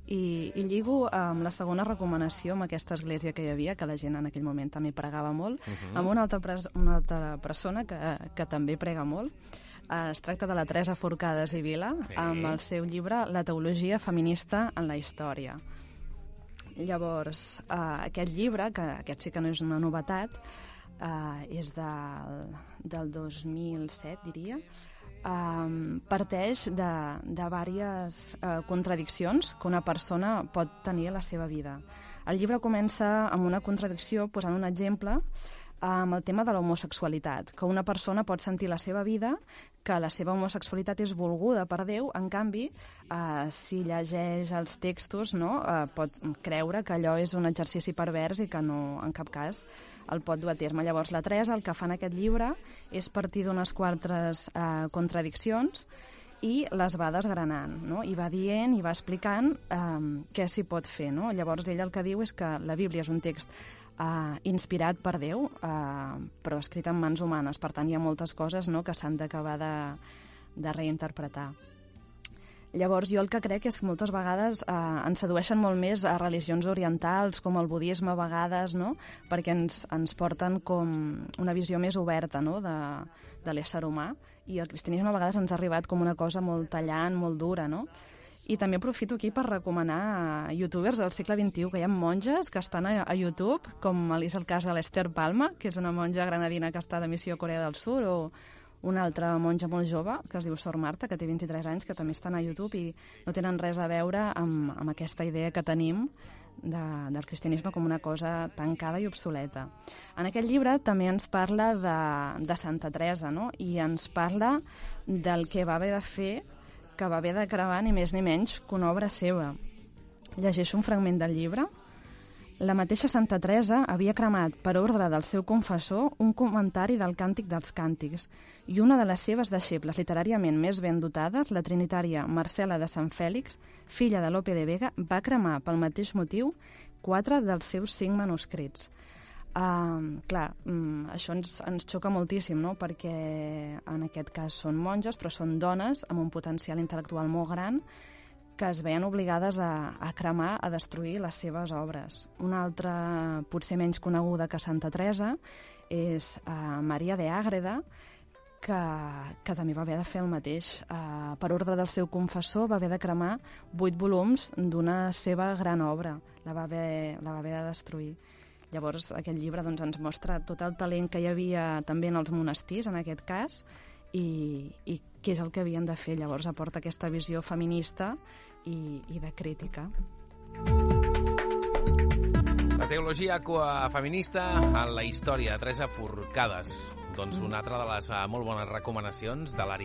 I lligo amb la segona recomanació, amb aquesta església que hi havia, que la gent en aquell moment també pregava molt, amb una altra persona que també prega molt. Es tracta de la Teresa Forcades i Vila, amb el seu llibre La teologia feminista en la història. Llavors, aquest llibre, que aquest sí que no és una novetat, és del 2007, diria, parteix de diverses contradiccions que una persona pot tenir a la seva vida. El llibre comença amb una contradicció, posant un exemple, amb el tema de l'homosexualitat, que una persona pot sentir la seva vida que la seva homosexualitat és volguda per Déu, en canvi, si llegeix els textos, pot creure que allò és un exercici pervers i que no, en cap cas, el pot dur a terme. Llavors, la Teresa el que fa en aquest llibre és partir d'unes quantes contradiccions i les va desgranant, i va dient i va explicant què s'hi pot fer. Llavors, ell el que diu és que la Bíblia és un text inspirat per Déu, però escrit en mans humanes. Per tant, hi ha moltes coses que s'han d'acabar de reinterpretar. Llavors, jo el que crec és que moltes vegades ens sedueixen molt més a religions orientals, com el budisme a vegades, perquè ens porten com una visió més oberta de l'ésser humà, i el cristianisme a vegades ens ha arribat com una cosa molt tallant, molt dura, I també aprofito aquí per recomanar youtubers del segle XXI, que hi ha monges que estan a YouTube, com és el cas de l'Esther Palma, que és una monja granadina que està de missió a Corea del Sur, o una altra monja molt jove, que es diu Sor Marta, que té 23 anys, que també estan a YouTube i no tenen res a veure amb aquesta idea que tenim del cristianisme com una cosa tancada i obsoleta. En aquest llibre també ens parla de Santa Teresa, i ens parla del que va haver de fer, que va haver de cremar ni més ni menys que una obra seva. Llegeixo un fragment del llibre. La mateixa Santa Teresa havia cremat, per ordre del seu confessor, un comentari del Càntic dels Càntics, i una de les seves deixebles literàriament més ben dotades, la trinitària Marcela de Sant Fèlix, filla de Lope de Vega, va cremar pel mateix motiu 4 dels seus 5 manuscrits. Això ens xoca moltíssim, perquè en aquest cas són monges, però són dones amb un potencial intel·lectual molt gran que es veien obligades a cremar, a destruir les seves obres. Una altra, potser menys coneguda que Santa Teresa, és Maria de Ágreda, que també va haver de fer el mateix. Per ordre del seu confessor va haver de cremar 8 volums d'una seva gran obra. La va haver de destruir. Llavors, aquest llibre ens mostra tot el talent que hi havia també en els monestirs, en aquest cas, i què és el que havien de fer. Llavors aporta aquesta visió feminista i de crítica. La teologia feminista en la història, Teresa Forcades. Doncs una altra de les molt bones recomanacions de l'àrea